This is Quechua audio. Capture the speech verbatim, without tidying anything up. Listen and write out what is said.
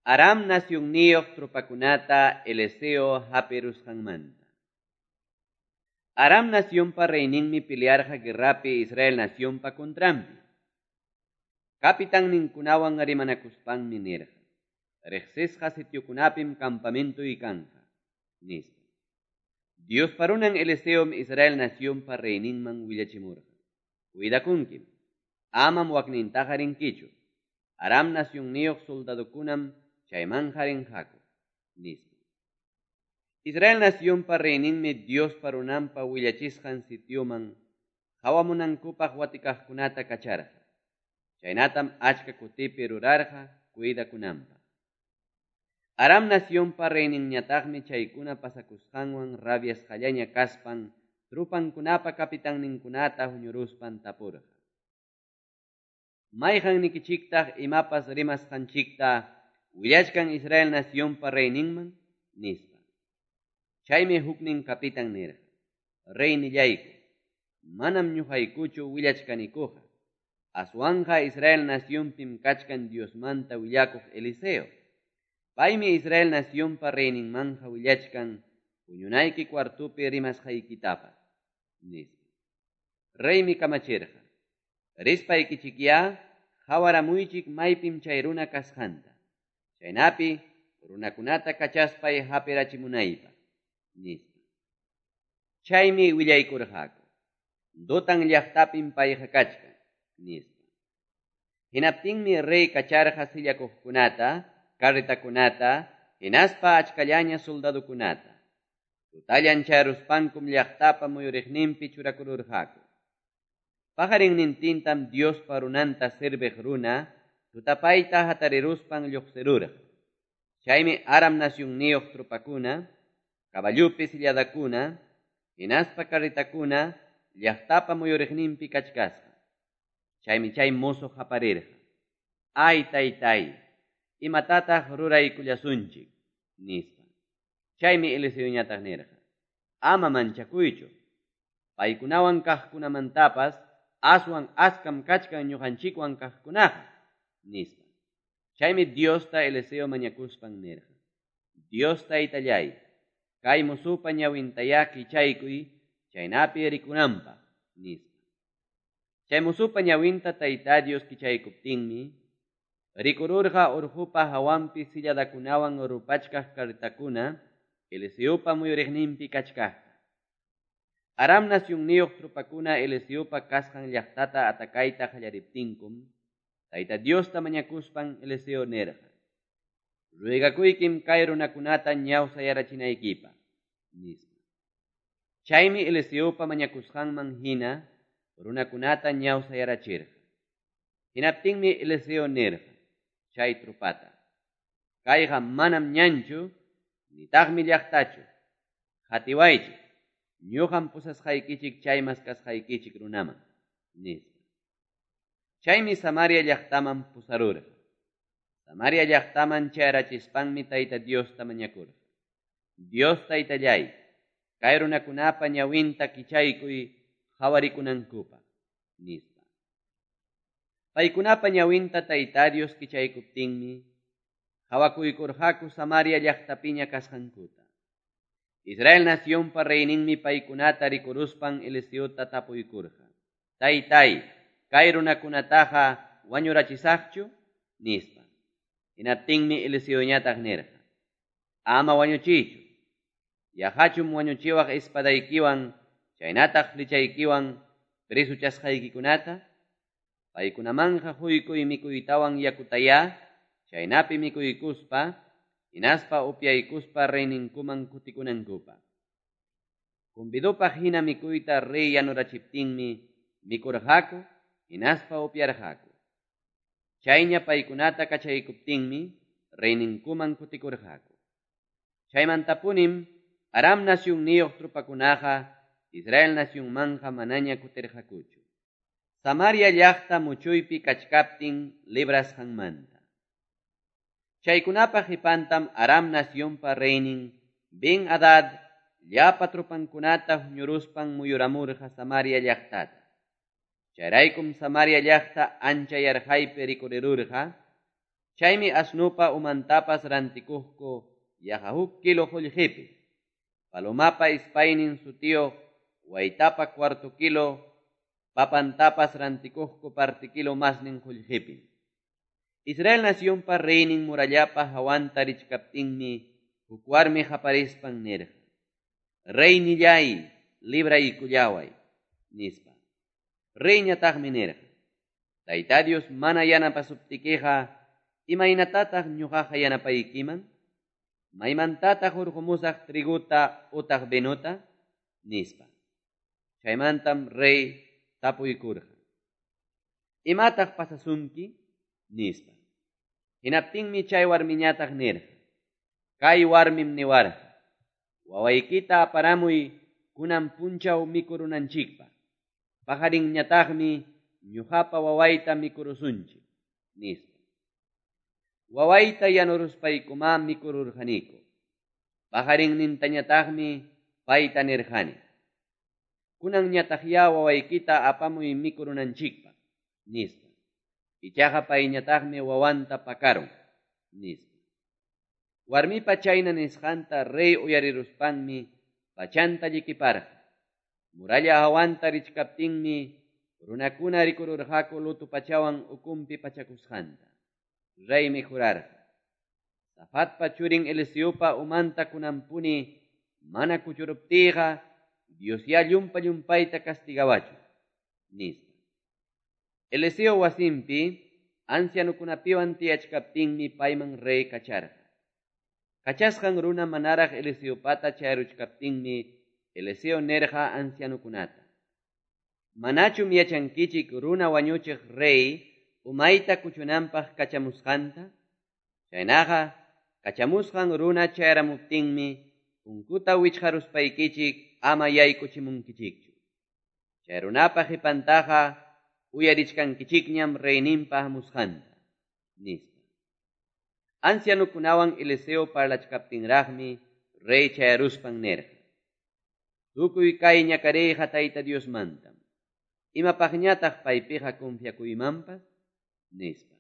Aram nasyunniyuq trupakunata Eliseo hapirusqanmanta. Aram nasyunpa reyninmi pelearqa guerrapi Israel nasyunpa contranpi. Kapitanninkunawan rimanakuspanmi nirqa: "Riqsisqa sitiokunapim campamentoy kanqa", nispa. Diospa runan Eliseom Israel nasyunpa reyninman willachimurqa: "Cuidakunkim, amam waknintaqa rinkichu. Aram nasyunniyuq soldadokunam chaymanqa rinqaku", nispa. Israel nasyunpa reyninmi Diospa runanpa willachisqan sitioman qawamunankupaq watikaqkunata kacharqa. Chaynatam achka kutipi rurarqa cuidakunanpaq. Aram nasyunpa reyninñataqmi chaykuna pasakusqanwan rabiasqallaña kaspan trupankunapa kapitanninkunata huñuruspan tapurqa: "Mayqannikichiktaq imapas rimasqanchikta willachkan Israel nasyunpa reyninman?" nispa. Chaymi huknin kapitan nirqa: "Reynillayku, manam ñuqaykuchu willachkanikuqa. Aswanqa Israel nasyunpim kachkan Diosmanta willakuq Eliseo. Paymi Israel nasyunpa reyninmanja willachkan puñunayki cuartupi rimasqaykitapas", nispa. Reymi kamachirqa: "Rispaykichikyá qawaramuychik maypim chay runa kasqanta. Chaynapi runakunata kachaspay hapirachimunaypaq", nispa. Chaymi willaykurqaku: "Dotan llaqtapim payqa kachkan", nispa. Hinaptinmi rey kacharqa sillakuqkunata, carretakunata, hinaspa achkallaña soldadokunata. Tutallan chayruspankum llaqtapa muyuriqninpi churakururqaku. Pajarinnintintam Diospa runanta serviq runa tutapayta hatariruspan lluqsirurqa. Chaymi Aram nasyunniyuq trupakuna, caballupi silladakuna, hinaspa carretakuna llaqtapa muyuriqninpi kachkasqa. Chaymi chay mozo qaparirqa: "Ay taytay, imatataq ruraykullasunchik?" nispa. Chaymi Eliseoñataq nirqa: "Ama manchakuychu. Paykunawan kaqkunamantapas aswan askam kachkan ñuqanchikwan kaqkunaqa", nispa. Chaymi Diosta Eliseo mañakuspan nirqa: "Dios taytallay, kay mozupa ñawintayá kichaykuy chaynapi rikunanpaq", nispa. Chay mozupa ñawinta Tayta Dios kichaykuptinmi rikururqa urqupa hawanpi silladakunawan rupachkaq carretakuna Eliseopa muyuriqninpi kachkaqta. Aram nasyunniyuq trupakuna Eliseopa kasqan llaqtata atakayta qallariptinkum, Tayta Diosta mañakuspan Eliseo nirqa: "Ruegakuykim kay runakunata ñawsayarachinaykipaq", nispa. Chaymi Eliseopa mañakusqanman hina runakunata ñawsayarachirqa. Hinaptinmi Eliseo nirqa chay trupata: "Kayqa manam ñanchu, nitaqmi llaqtachu. Qatiwaychik, ñuqam pusasqaykichik chay maskasqaykichik runaman", nispa. Chaymi Samaria llaqtaman pusarurqa. Samaria llaqtaman chayrachispanmi Tayta Diosta mañakurqa: "Dios taytallay, kay runakunapa ñawinta kichaykuy qhawarikunankupaq", nispa. Paykunapa ñawinta Tayta Dios kichaykuptinmi qhawakuykurqaku Samaria llaqtapiña kasqankuta. Israel nasyunpa reyninmi paykunata rikuruspan Eliseota tapuykurqa: "Taytay, kay runakunataqa wañurachisaqchu?" nispa. Hinaptinmi Eliseoñataq nirqa: "Ama wañuchiychu. Yaqachum wañuchiwaq espadaykiwan chaynataq flechaykiwan presuchasqaykikunata? Paykunamanja quykuy mikuytawan yakutayá, chaynapi mikuykuspa, hinaspa upyaykuspa reyninkuman kutikunankupaq." Convidopaq hina mikuyta rey yanurachiptinmi mikurqaku, hinaspa upyarqaku. Chayña paykunata kachaykuptinmi reyninkuman kutikurqaku. Chaymantapunim Aram nasyunniyuq trupakunaqa Israel nasyunmanja manaña kutirqakuchu. Samaria llaqta muchuypi kachkaptin librasqanmanta. Chaykunapa qipantam Aram nasyunpa reynin Ben-Hadad llapa trupankunata huñuruspan muyuramurqa Samaria llaqtata. Chayraykum Samaria llaqta ancha yarqaypi rikurirurqa. Chaymi asnopa umantapas rantikuqku yaqa huk kilo qollqepi, palomapa ispaynin sutiyuq waytapa cuarto kilo papantapas rantikuqku parte kilo masnin qollqepim. Israel nacionpa reynin murallapa hawanta richkaptinmi huk warmi qaparispan nirqa: "Reynillay, libraykullaway", nispa. Reyñataqmi nirqa: "Tayta Dios mana yanapasuptikiqa, imaynatataq ñuqaqa yanapaykiman? Maymantataq hurqumusaq triguta utaq vinota?" nispa. Chaymantam rey tapuykurqa: "¿Imataq pasasunki?" nispa. Hinaptinmi chay warmiñataq nirqa: "Kay warmim niwarqa: Wawaykita aparamuy kunan punchaw mikurunanchikpaq. Paqarinñataqmi ñuqapa wawayta mikurusunchik", nispa. Wawayta yanuruspaykumá mikururqaniku. Paqarinnintañataqmi payta nirqani: "Kunanñataqyá wawaykita apamuy mikurunanchikpaq", nispa. Ichaqa payñataqmi wawanta pakarun, nispa. Warmipa chayna nisqanta rey uyariruspanmi pachanta llikiparqa. Muralla hawanta richkaptinmi runakuna rikururqaku luto pachawan ukumpi pachakusqanta. Reymi jurarqa: "Safatpa churin Eliseopa umanta kunanpuni mana kuchuruptiyqa, Diosyá llumpa llumpayta castigawachun", nispa. Eliseo wasinpi ancianukunapiwan tiyachkaptinmi payman rey kacharqa. Kachasqan runa manaraq Eliseopata chayaruchkaptinmi Eliseo nirqa ancianukunata: "¿Manachum yachankichik runa wañuchiq rey umayta kuchunanpaq kachamusqanta? Chaynaqa kachamusqan runa chayaramuptinmi punkuta wichqaruspaykichik ama yaykuchimunkichikchu. Chay runapa qipantaqa uyarichkankichikñam reyninpa hamusqanta", nispa. Ancianukunawan Eliseo parlachkaptinraqmi rey chayaruspan nirqa: "Tukuy kay ñakariyqa Tayta Diosmantam. Imapaqñataq paypiqa confiakuymanpas?" nispa.